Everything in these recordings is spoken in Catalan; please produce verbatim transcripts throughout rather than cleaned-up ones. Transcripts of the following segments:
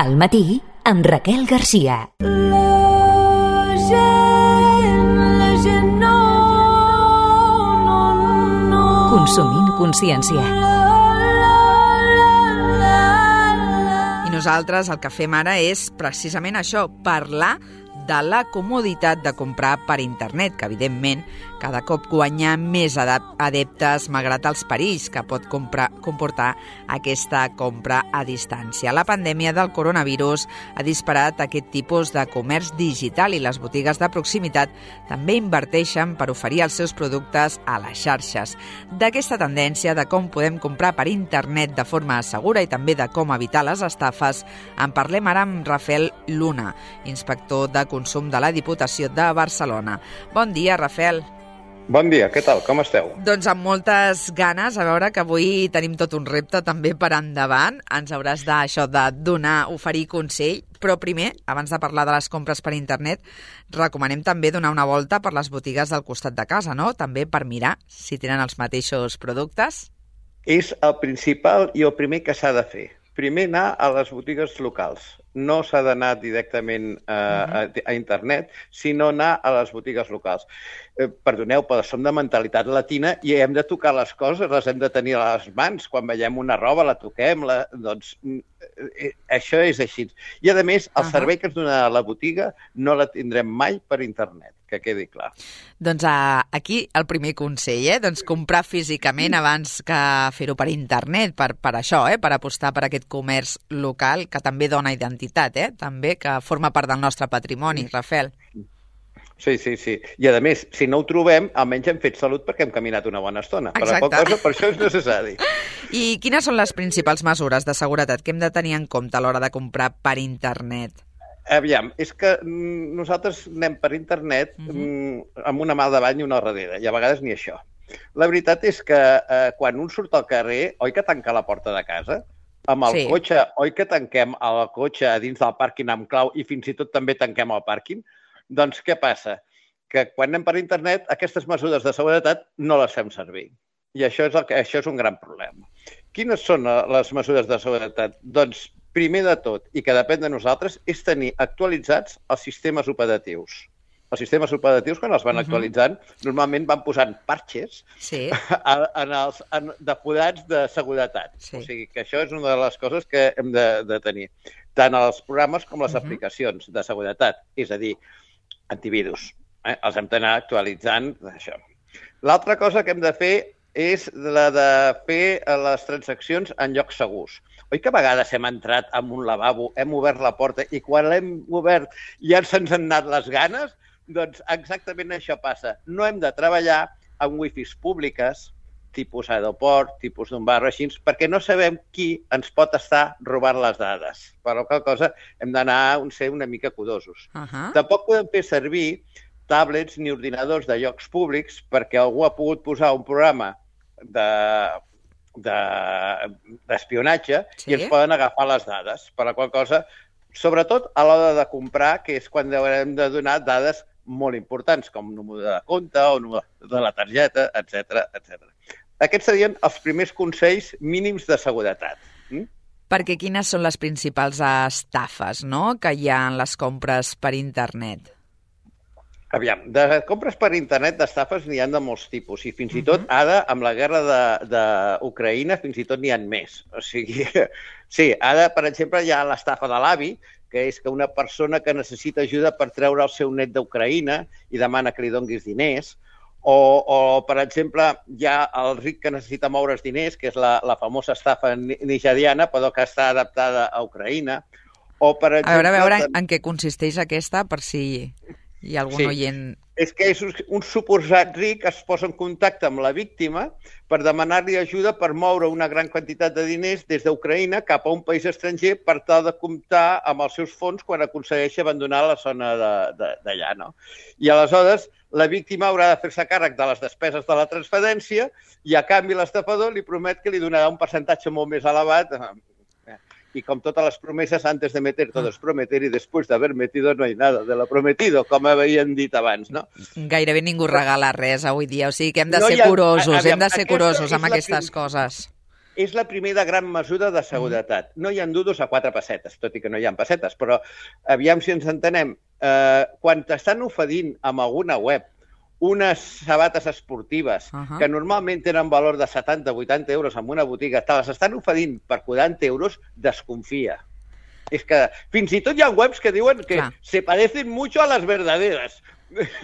Al matí, amb Raquel Garcia. La gent, la gent no, no, no. Consumint consciència. I nosaltres el que fem ara és precisament això, parlar de la comoditat de comprar per internet, que evidentment cada cop guanya més adeptes malgrat els perills que pot comprar, comportar aquesta compra a distància. La pandèmia del coronavirus ha disparat aquest tipus de comerç digital i les botigues de proximitat també inverteixen per oferir els seus productes a les xarxes. D'aquesta tendència de com podem comprar per internet de forma segura i també de com evitar les estafes, en parlem ara amb Rafael Luna, inspector de consum de la Diputació de Barcelona. Bon dia, Rafael. Bon dia, què tal? Com esteu? Doncs amb moltes ganes, a veure que avui tenim tot un repte també per endavant. Ens hauràs d'això de donar, oferir consell, però primer, abans de parlar de les compres per internet, recomanem també donar una volta per les botigues del costat de casa, no? També per mirar si tenen els mateixos productes. És el principal i el primer que s'ha de fer. Primer anar a les botigues locals. No s'ha d'anar directament a, a, a internet, sinó anar a les botigues locals. Eh, perdoneu, però som de mentalitat latina i hem de tocar les coses, les hem de tenir a les mans. Quan veiem una roba, la toquem, la, doncs eh, això és així. I, a més, el uh-huh. servei que ens dona la botiga no la tindrem mai per internet, que quedi clar. Doncs uh, aquí el primer consell, eh? Doncs comprar físicament abans que fer-ho per internet, per, per això, eh? Per apostar per aquest comerç local que també dona identitat, eh? També que forma part del nostre patrimoni, Rafael. Sí, sí, sí. I a més, si no ho trobem, almenys hem fet salut perquè hem caminat una bona estona. Per la qual cosa, per això és necessari. I quines són les principals mesures de seguretat que hem de tenir en compte a l'hora de comprar per internet? Aviam, és que nosaltres anem per internet uh-huh. amb una mà al davant i una al darrere, i a vegades ni això. La veritat és que eh, quan un surt al carrer, oi que tanca la porta de casa? Amb el sí. cotxe, oi que tanquem el cotxe a dins del pàrquing amb clau i fins i tot també tanquem el pàrquing? Doncs què passa? Que quan anem per internet, aquestes mesures de seguretat no les fem servir. I això és, el que, això és un gran problema. Quines són les mesures de seguretat? Doncs, primer de tot, i que depèn de nosaltres, és tenir actualitzats els sistemes operatius. Els sistemes operatius, quan els van uh-huh. actualitzant, normalment van posant parxes sí. en els en, depurats de seguretat. Sí. O sigui que això és una de les coses que hem de, de tenir. Tant els programes com les uh-huh. aplicacions de seguretat. És a dir, antivirus. Eh? Els hem d'anar actualitzant. Això. L'altra cosa que hem de fer és la de fer les transaccions en llocs segurs. Oi que a vegades hem entrat en un lavabo, hem obert la porta i quan l'hem obert ja se'ns han anat les ganes? Doncs exactament això passa. No hem de treballar amb wifis públiques, tipus aeroport, tipus d'un bar o així, perquè no sabem qui ens pot estar robant les dades. Per la qual cosa hem d'anar a ser una mica curosos. Uh-huh. Tampoc podem fer servir tablets ni ordinadors de llocs públics perquè algú ha pogut posar un programa de... d'espionatge de, sí? i ens poden agafar les dades. Per la qual cosa, sobretot a l'hora de comprar, que és quan haurem de donar dades molt importants, com número de compte o número de la targeta, etcètera, etcètera. Aquests serien els primers consells mínims de seguretat. Mm? Perquè quines són les principals estafes, no?, que hi ha en les compres per internet? Aviam, de compres per internet d'estafes n'hi ha de molts tipus i fins i tot ara, amb la guerra d'Ucraïna, fins i tot n'hi ha més. O sigui, sí, ara, per exemple, hi ha l'estafa de l'avi, que és que una persona que necessita ajuda per treure el seu net d'Ucraïna i demana que li donguis diners, o, o per exemple, hi ha el ric que necessita moure's diners, que és la, la famosa estafa nigeriana, però que està adaptada a Ucraïna. O, per exemple, a veure, a veure en què consisteix aquesta, per si... hi ha algun sí. oient... És que és un suposat ric es posa en contacte amb la víctima per demanar-li ajuda per moure una gran quantitat de diners des d'Ucraïna cap a un país estranger per tal de comptar amb els seus fons quan aconsegueixi abandonar la zona d'allà, no? I aleshores la víctima haurà de fer-se càrrec de les despeses de la transferència i a canvi l'estafador li promet que li donarà un percentatge molt més elevat. Y com totes les promeses, antes de meter todo es prometer y después de haber metido no hay nada de lo prometido, com havien dit abans, no? Gairebé ningú regala res avui dia, o sigui que hem de ser curosos, hem de ser curosos amb aquestes coses. és la primera gran mesura de seguretat. No hi ha dudos a quatre pessetes, tot i que no hi ha pessetes, però aviam si ens entenem. Eh, quan t'estan oferint amb alguna web unes sabates esportives uh -huh. que normalment tenen valor de setanta o vuitanta euros en una botiga, te les estan oferint per quaranta euros, desconfia. És que fins i tot hi ha webs que diuen que clar. se parecen mucho a las verdaderas.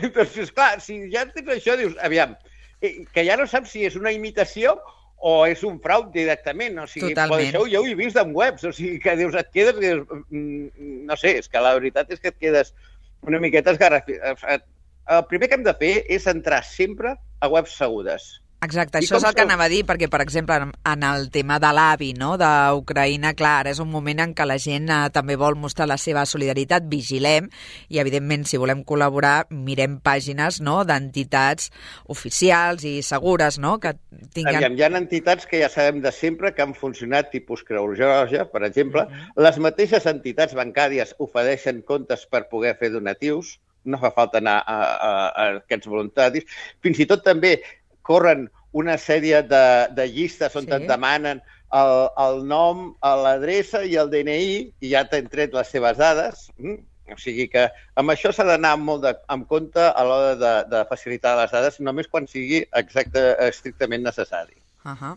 Entonces, clar, si ja tens això, dius, aviam, que ja no saps si és una imitació o és un frau directament. O sigui, això jo ho he vist en webs. O sigui, que dius, et quedes... Dius, no sé, és que la veritat és que et quedes una miqueta esgarrafat. El primer que hem de fer és entrar sempre a webs segures. Exacte, això és el que anava a dir, perquè, per exemple, en el tema de l'avi, no?, d'Ucraïna, clar, ara és un moment en què la gent eh, també vol mostrar la seva solidaritat, vigilem, i, evidentment, si volem col·laborar, mirem pàgines, no?, d'entitats oficials i segures, no?, que tinguen... Aviam, hi ha entitats que ja sabem de sempre que han funcionat, tipus Creu Roja, per exemple. Mm-hmm. Les mateixes entitats bancàries ofereixen comptes per poder fer donatius, no fa falta anar a, a, a aquests voluntaris. Fins i tot també corren una sèrie de, de llistes on sí. et demanen el, el nom, l'adreça i el D N I, i ja t'han tret les seves dades. Mm? O sigui que amb això s'ha d'anar molt de, amb compte a l'hora de, de facilitar les dades, només quan sigui exacte, estrictament necessari. Uh -huh.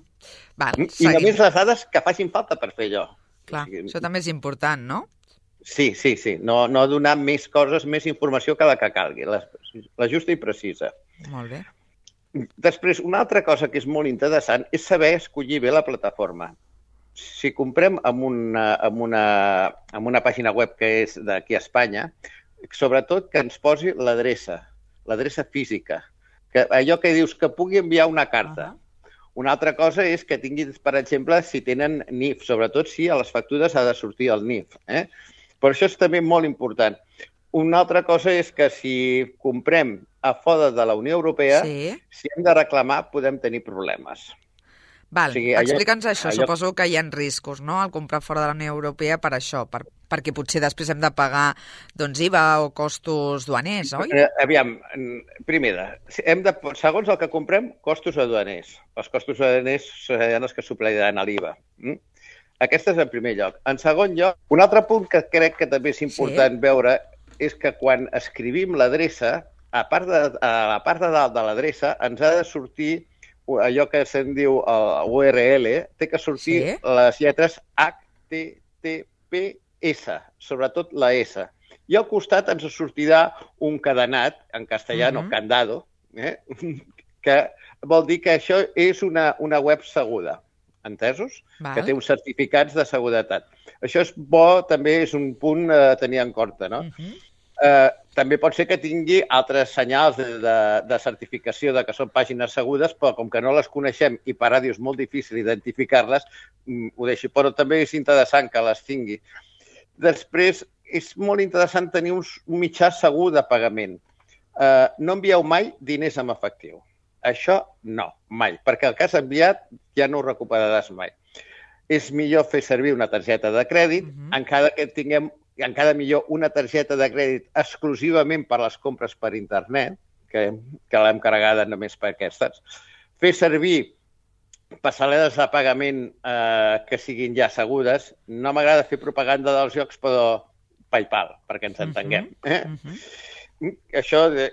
Val, mm? I només les dades que facin falta per fer allò. Clar, o sigui, això també és important, no? Sí, sí, sí. No, no donar més coses, més informació que la que calgui, la, la justa i precisa. Molt bé. Després, una altra cosa que és molt interessant és saber escollir bé la plataforma. Si comprem amb una, amb una, amb una pàgina web que és d'aquí a Espanya, sobretot que ens posi l'adreça, l'adreça física. Que allò que dius que pugui enviar una carta. Uh-huh. Una altra cosa és que tinguin, per exemple, si tenen N I F, sobretot si a les factures ha de sortir el N I F. Eh? Per això és també molt important. Una altra cosa és que si comprem a fora de la Unió Europea, sí. si hem de reclamar, podem tenir problemes. Val, o sigui, explica'ns això. Allò... Suposo que hi ha riscos, no?, al comprar fora de la Unió Europea per això, per, perquè potser després hem de pagar doncs, I V A o costos duaners, oi? Aviam, primera, hem de, segons el que comprem, costos aduaners. Els costos aduaners seran els que supliran a l'I V A. Mm? Aquest és el primer lloc. En segon lloc, un altre punt que crec que també és important sí. veure és que quan escrivim l'adreça, a, part de, a la part de dalt de l'adreça ens ha de sortir allò que se'n diu el U R L, té que sortir sí. les lletres H T T P S, sobretot la S. I al costat ens sortirà un cadenat, en castellà, uh-huh. candado, eh? que vol dir que això és una, una web segura. Entesos? Val. Que té uns certificats de seguretat. Això és bo, també és un punt a tenir en compte, no? Uh-huh. eh, també pot ser que tingui altres senyals de, de, de certificació de que són pàgines segures, però com que no les coneixem i per ràdio és molt difícil identificar-les, ho deixi. Però també és interessant que les tingui. Després, és molt interessant tenir un, un mitjà segur de pagament. Eh, no envieu mai diners en efectiu. Això no, mai, perquè el que has enviat ja no ho recuperaràs mai. És millor fer servir una targeta de crèdit, uh-huh. encara que tinguem, encara millor una targeta de crèdit exclusivament per les compres per internet, que, que l'hem carregada només per aquestes. Fer servir passarel·les de pagament eh, que siguin ja segures. No m'agrada fer propaganda dels jocs, però PayPal, perquè ens entenguem. Uh-huh. Eh? Uh-huh. Això... De...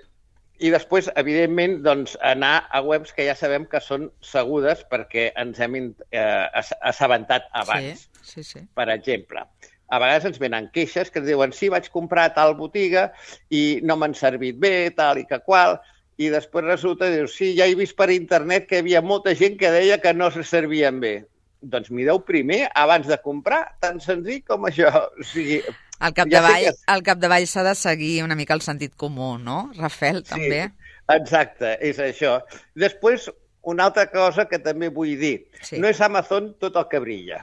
I després, evidentment, doncs, anar a webs que ja sabem que són segures perquè ens hem eh, assabentat abans. Sí, sí, sí. Per exemple, a vegades ens venen queixes que ens diuen sí, vaig comprar a tal botiga i no m'han servit bé, tal i que qual, i després resulta que dius, sí, ja he vist per internet que hi havia molta gent que deia que no se servien bé. Doncs mireu primer abans de comprar, tan senzill com això. O sigui... Al capdavall, ja que... al capdavall s'ha de seguir una mica el sentit comú, no, Rafel, també? Sí, exacte, és això. Després, una altra cosa que també vull dir. Sí. No és Amazon tot el que brilla.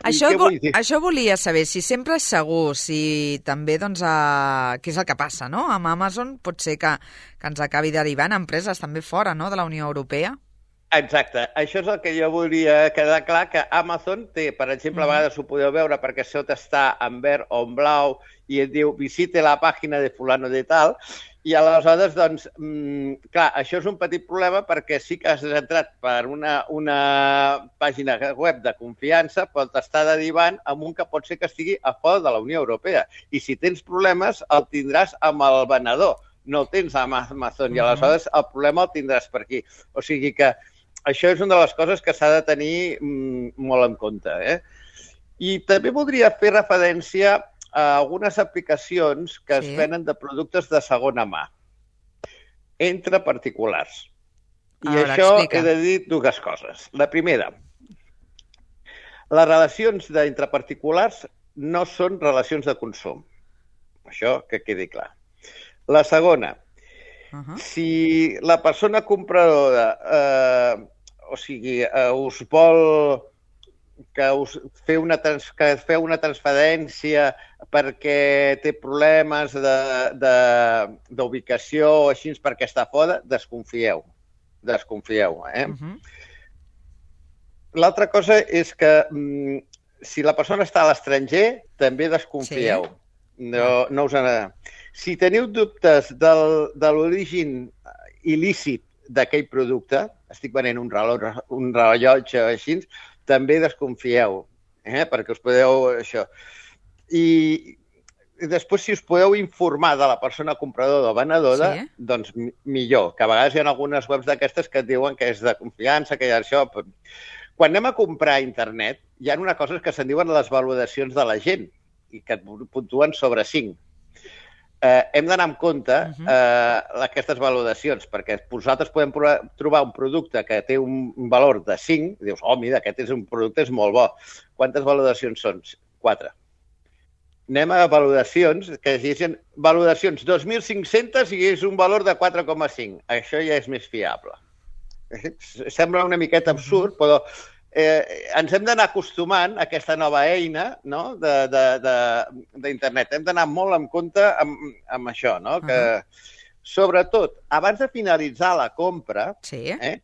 Això, vo això volia saber, si sempre és segur, si també, doncs, a... què és el que passa, no? Amb Amazon pot ser que, que ens acabi derivant empreses també fora, no?, de la Unió Europea. Exacte. Això és el que jo volia quedar clar, que Amazon té, per exemple, mm. a vegades ho podeu veure perquè sota està en verd o en blau i et diu visite la pàgina de fulano de tal, I aleshores, doncs, mmm, clar, això és un petit problema perquè sí que has entrat per una, una pàgina web de confiança, però t'està derivant amb un que pot ser que estigui a fora de la Unió Europea. I si tens problemes, el tindràs amb el venedor, no el tens amb Amazon, i aleshores el problema el tindràs per aquí. O sigui que això és una de les coses que s'ha de tenir mmm, molt en compte. Eh? I també voldria fer referència a algunes aplicacions que sí. es venen de productes de segona mà, entre particulars. I veure, això explica. He de dir dues coses. La primera, les relacions d'entre particulars no són relacions de consum. Això que quedi clar. La segona, uh-huh. si la persona compradora eh, o sigui, eh, us vol que us feu una, trans, que feu una transferència perquè té problemes d'ubicació o així perquè està fora, desconfieu. Desconfieu, eh? Uh-huh. L'altra cosa és que mm, si la persona està a l'estranger, també desconfieu. Sí. No, no us en... Si teniu dubtes del, de l'origen il·lícit d'aquell producte, estic venent un rellotge, un rellotge així, també desconfieu, eh? Perquè us podeu... Això. I, I després, si us podeu informar de la persona compradora o venedora, sí. doncs millor. Que a vegades hi ha algunes webs d'aquestes que et diuen que és de confiança, que hi ha això... Quan anem a comprar a internet, hi ha una cosa que se'n diuen les valoracions de la gent i que et puntuen sobre cinc. Eh, hem d'anar amb compte uh-huh. eh, aquestes valoracions, perquè vosaltres podem provar, trobar un producte que té un valor de cinc, i dius, oh, mira, aquest és un producte és molt bo. Quantes valoracions són? quatre. Anem a valoracions, que diguin valoracions dos mil cinc-centes i és un valor de quatre coma cinc. Això ja és més fiable. Sembla una miqueta absurd, però eh, ens hem d'anar acostumant a aquesta nova eina, no? d'internet. Hem d'anar molt en compte amb, amb això, no? Que, sobretot, abans de finalitzar la compra, sí. eh,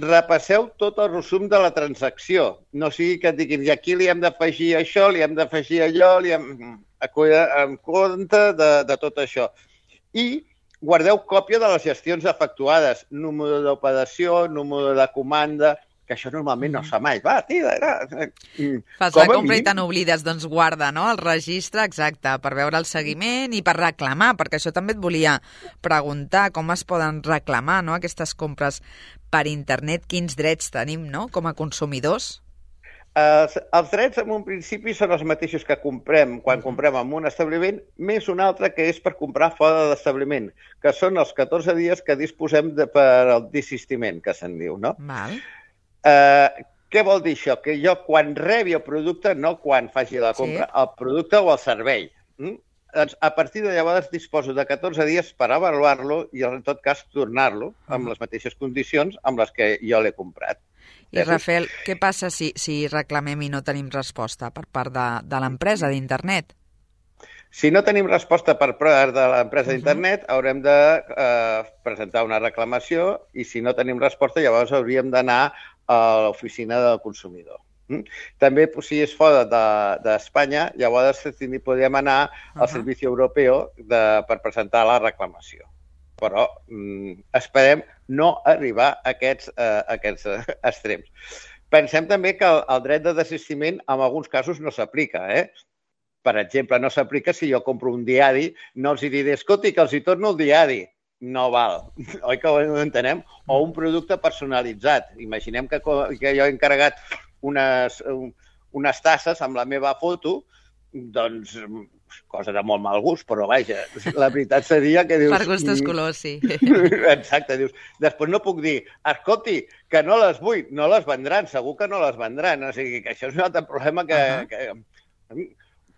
repasseu tot el resum de la transacció. No sigui que et diguin, i aquí li hem d'afegir això, li hem d'afegir allò, li hem... en compte de, de tot això. I guardeu còpia de les gestions efectuades, número d'operació, número de comanda, que això normalment no es fa mai. Va, tira, era... Fas la compra i te n'oblides, doncs guarda, no?, el registre, exacte, per veure el seguiment i per reclamar, perquè això també et volia preguntar, com es poden reclamar, no?, aquestes compres per internet, quins drets tenim, no?, com a consumidors? Els, els drets, en un principi, són els mateixos que comprem quan comprem en un establiment, més un altre que és per comprar fora de l'establiment, que són els catorze dies que disposem de, per al desistiment, que se'n diu, no? Val. Eh, què vol dir això? Que jo, quan rebi el producte, no quan faci la compra, sí. el producte o el servei, mm? doncs, a partir de llavors disposo de catorze dies per avaluar-lo i, en tot cas, tornar-lo amb les mateixes condicions amb les que jo l'he comprat. I, Rafael, què passa si, si reclamem i no tenim resposta per part de, de l'empresa d'internet? Si no tenim resposta per part de l'empresa d'internet, uh-huh. haurem de eh, presentar una reclamació i, si no tenim resposta, llavors hauríem d'anar a l'oficina del consumidor. Mm? També, si és fora d'Espanya, de, llavors podríem anar al uh-huh. Servici Europeu de, per presentar la reclamació. Però mm, esperem no arribar a aquests, eh, a aquests eh, extrems. Pensem també que el, el dret de desistiment en alguns casos no s'aplica. Eh? Per exemple, no s'aplica si jo compro un diari, no els hi diré, escolti, que els hi torno el diari. No val. Oi que ho entenem? O un producte personalitzat. Imaginem que, que jo he encarregat unes, unes tasses amb la meva foto, doncs... cosa de molt mal gust, però vaja, la veritat seria que dius... Per gustos colors, sí. Exacte, dius, després no puc dir, escolti, que no les vull, no les vendran, segur que no les vendran, o sigui, que això és un altre problema que... Uh-huh. que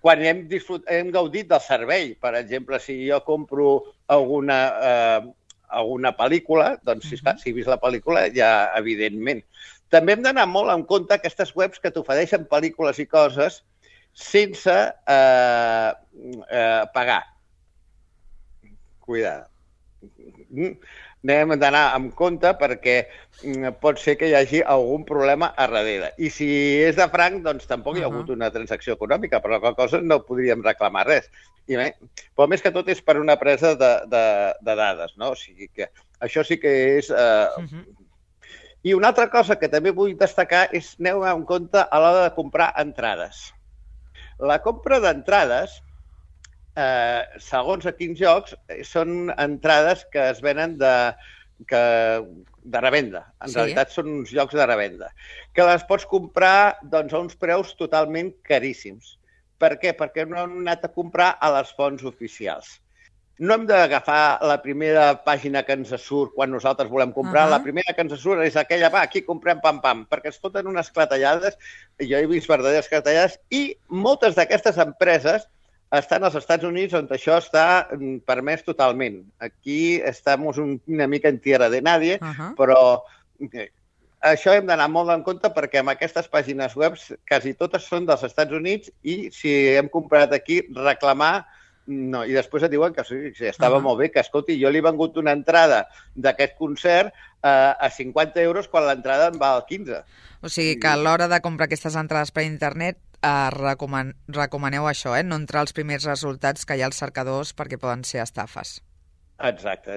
quan hem, disfrut, hem gaudit del servei, per exemple, si jo compro alguna, eh, alguna pel·lícula, doncs si, uh-huh. si he vist la pel·lícula, ja evidentment. També hem d'anar molt en compte aquestes webs que t'ofereixen pel·lícules i coses sense eh, eh, pagar. Cuidado. Anem d'anar amb compte perquè pot ser que hi hagi algun problema a darrere. I si és de franc, doncs tampoc hi ha hagut una transacció econòmica, per la qual cosa no podríem reclamar res. I bé, però més que tot és per una presa de, de, de dades, no? O sigui que això sí que és... Eh... Uh-huh. I una altra cosa que també vull destacar és aneu en compte a l'hora de comprar entrades. La compra d'entrades, eh, segons a quins jocs, són entrades que es venen de, que, de revenda. En sí. realitat són uns jocs de revenda. Que les pots comprar doncs, a uns preus totalment caríssims. Per què? Perquè no hem anat a comprar a les fonts oficials. No hem d'agafar la primera pàgina que ens surt quan nosaltres volem comprar. Uh-huh. La primera que ens surt és aquella, va, aquí comprem pam-pam, perquè es foten unes clatellades, jo he vist verdaderes clatellades, i moltes d'aquestes empreses estan als Estats Units on això està permès totalment. Aquí estem una mica en tierra de nadie, uh-huh. però això hem d'anar molt en compte perquè amb aquestes pàgines web quasi totes són dels Estats Units i si hem comprat aquí, reclamar. No, i després et diuen que sí, que estava uh-huh. molt bé, que escolti, jo li he vengut una entrada d'aquest concert eh, a cinquanta euros quan l'entrada en val quinze. O sigui que a l'hora de comprar aquestes entrades per internet eh, recoman recomaneu això, eh? No entrar als primers resultats que hi ha als cercadors perquè poden ser estafes. Exacte.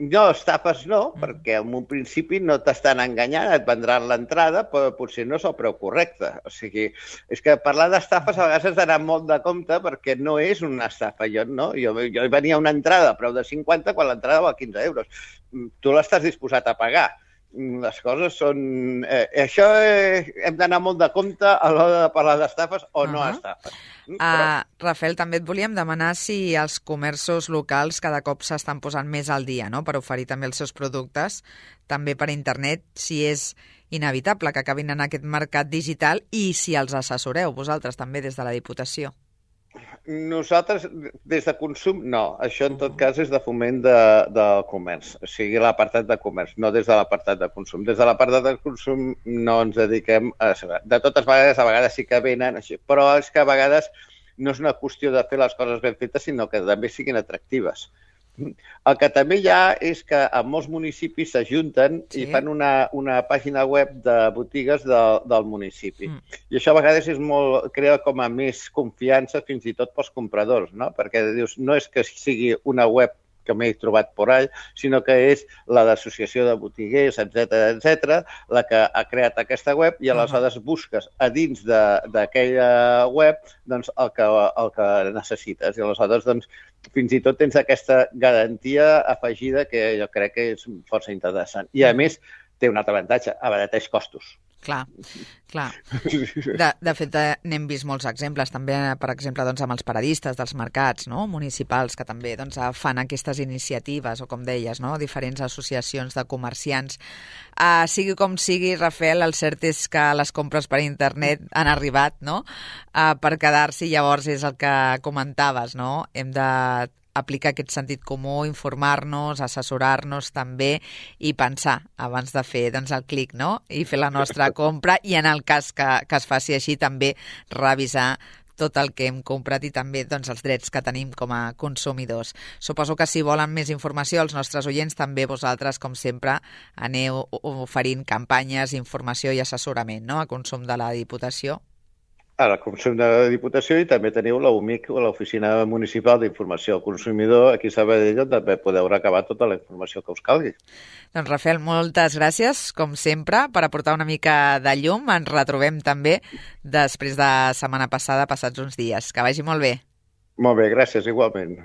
No, estafes no, mm. perquè en un principi no t'estan enganyant, et vendran l'entrada, però potser no és el preu correcte. O sigui, és que parlar d'estafes a vegades has d'anar molt de compte perquè no és una estafa. Jo, no? jo, jo venia una entrada a preu de cinquanta quan l'entrada val quinze euros. Tu l'estàs disposat a pagar. Les coses són... Eh, això eh, hem d'anar molt de compte a l'hora de parlar d'estafes o uh-huh. no estafes. Uh, Però... Rafael, també et volíem demanar si els comerços locals cada cop s'estan posant més al dia, no?, per oferir també els seus productes, també per internet, si és inevitable que acabin en aquest mercat digital i si els assessoreu vosaltres també des de la Diputació. Nosaltres, des de consum, no. Això, en tot cas, és de foment de, de comerç, o sigui, l'apartat de comerç, no des de l'apartat de consum. Des de l'apartat de consum no ens dediquem a... De totes vegades, a vegades sí que venen, així, però és que a vegades no és una qüestió de fer les coses ben fetes, sinó que també siguin atractives. El que també hi ha és que en molts municipis s'ajunten sí. i fan una, una pàgina web de botigues de, del municipi. Mm. I això a vegades és molt, crea com a més confiança fins i tot pels compradors, no? Perquè dius, no és que sigui una web que m'he trobat por ahí, sinó que és la d'associació de botiguers, etcètera, etcètera, la que ha creat aquesta web i aleshores busques a dins d'aquella web doncs, el, que, el que necessites. I aleshores doncs, fins i tot tens aquesta garantia afegida que jo crec que és força interessant. I a més té un altre avantatge, abarateix costos. Clar, clar. De, de fet, n'hem vist molts exemples, també, per exemple, doncs, amb els paradistes dels mercats, no?, municipals, que també doncs, fan aquestes iniciatives, o com deies, no?, diferents associacions de comerciants. Uh, sigui com sigui, Rafael, el cert és que les compres per internet han arribat, no?, uh, per quedar-s'hi, llavors és el que comentaves, no?, hem de aplicar aquest sentit comú, informar-nos, assessorar-nos també i pensar abans de fer doncs, el clic, no?, i fer la nostra compra i en el cas que, que es faci així també revisar tot el que hem comprat i també doncs, els drets que tenim com a consumidors. Suposo que si volen més informació els nostres oients, també vosaltres, com sempre, aneu oferint campanyes, informació i assessorament, no?, a Consum de la Diputació. A la Consum de la Diputació i també teniu l'O M I C, l'Oficina Municipal d'Informació al Consumidor, aquí a Sabadell, on també podeu recabar tota la informació que us calgui. Doncs, Rafael, moltes gràcies, com sempre, per aportar una mica de llum. Ens retrobem també després de setmana passada, passats uns dies. Que vagi molt bé. Molt bé, gràcies, igualment.